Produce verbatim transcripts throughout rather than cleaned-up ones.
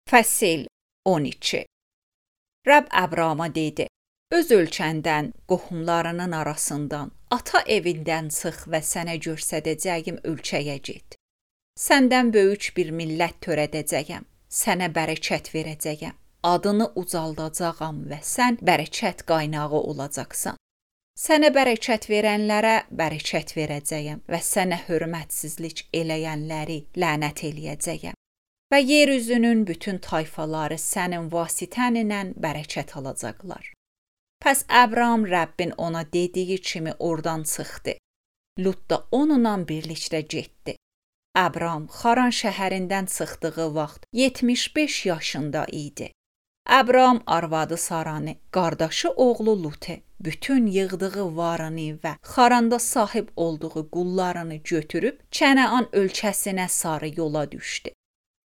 Fəsil on iki. Rəbb Əbrama dedi: Öz ölkəndən, qohumlarının arasından, ata evindən çıx və sənə göstərəcəyim ölkəyə get. Səndən böyük bir millət törədəcəyəm, sənə bərəkət verəcəyəm, adını ucaldacağam və sən bərəkət qaynağı olacaqsan. Sənə bərəkət verənlərə bərəkət verəcəyəm və sənə hörmətsizlik eləyənləri lənət eləyəcəyəm. Və yeryüzünün bütün tayfaları sənin vasitənlə bərəkət alacaqlar. Pəs Əbram Rəbbin ona dediyi kimi oradan çıxdı. Lut da onunla birlikdə getdi. Əbram Xaran şəhərindən çıxdığı vaxt yetmiş beş yaşında idi. Əbram arvadı Saranı, qardaşı oğlu Lutu, bütün yığdığı varını və Xaranda sahib olduğu qullarını götürüb Kənaan ölkəsinə sarı yola düşdü.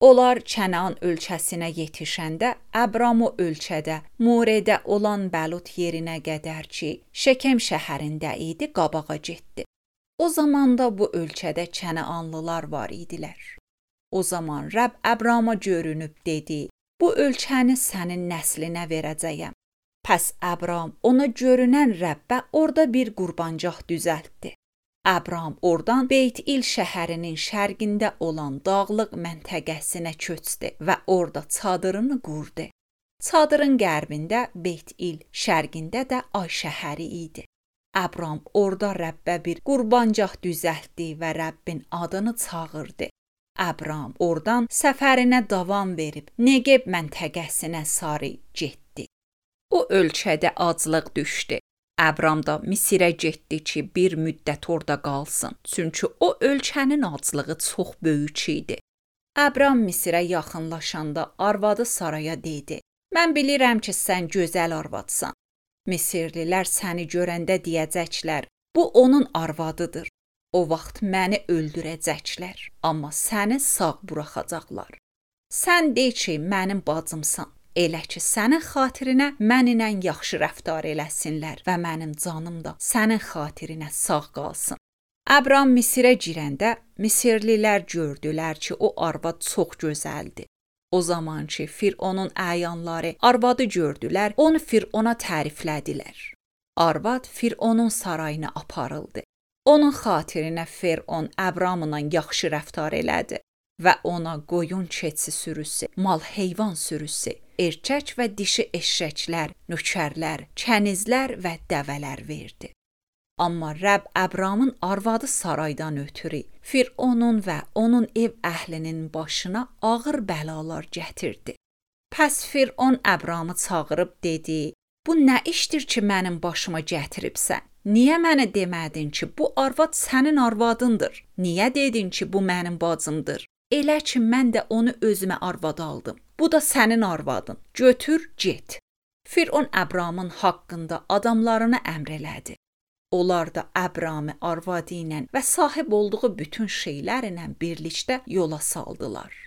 Onlar Kənaan ölkəsinə yetişəndə Əbram o ölkədə Moredə olan Bəlut yerinə qədər ki, Şekem şəhərində idi, qabağa getdi. O zaman da bu ölkədə Kənaanlılar var idilər. O zaman Rəbb Əbrama görünüb dedi: Bu ölkəni sənin nəslinə verəcəyəm. Pəs Əbram ona görünən Rəbbə orada bir qurbancaq düzəltdi. Əbram oradan Beyt-İl şəhərinin şərqində olan dağlıq məntəqəsinə köçdü və orada çadırını qurdu. Çadırın qərbində Beyt-İl, şərqində də Ay şəhəri idi. Əbram orada Rəbbə bir qurbancaq düzəltdi və Rəbbin adını çağırdı. Əbram oradan səfərinə davam verib Negev məntəqəsinə sarı getdi. O ölkədə aclıq düşdü. Əbram da Misirə getdi ki, bir müddət orada qalsın, çünki o ölkənin aclığı çox böyük idi. Əbram Misirə yaxınlaşanda arvadı Saraya dedi: Mən bilirəm ki, sən gözəl arvadsan. Misirlilər səni görəndə deyəcəklər: Bu onun arvadıdır. O vaxt məni öldürəcəklər, amma səni sağ buraxacaqlar. Sən de ki, mənim bacımsan. Elə ki, sənin xatirinə mənimlə yaxşı rəftar eləsinlər və mənim canım da sənin xatirinə sağ qalsın. Əbram Misirə girəndə Misirlilər gördülər ki, o arvad çox gözəldir. O zaman ki, Fironun əyanları arvadı gördülər, onu Firona təriflədilər. Arvad Fironun sarayına aparıldı. Onun xatirinə Firon Əbramla yaxşı rəftar elədi və ona qoyun keçi sürüsü, mal heyvan sürüsü, erkək və dişi eşşəklər, nökərlər, kənizlər və dəvələr verdi. Amma Rəbb Əbramın arvadı Saraydan ötürü Fironun və onun ev əhlinin başına ağır bəlalar gətirdi. Pəs Firon Əbramı çağırıb dedi: Bu nə işdir ki, mənim başıma gətiribsən? Niyə mənə demədin ki, bu arvad sənin arvadındır? Niyə dedin ki, bu mənim bacımdır? Elə ki, mən də onu özümə arvad aldım. Bu da sənin arvadın. Götür, get. Firon Əbramın haqqında adamlarını əmr elədi. Onlar da Əbramı arvadı ilə və sahib olduğu bütün şeylərlə birlikdə yola saldılar.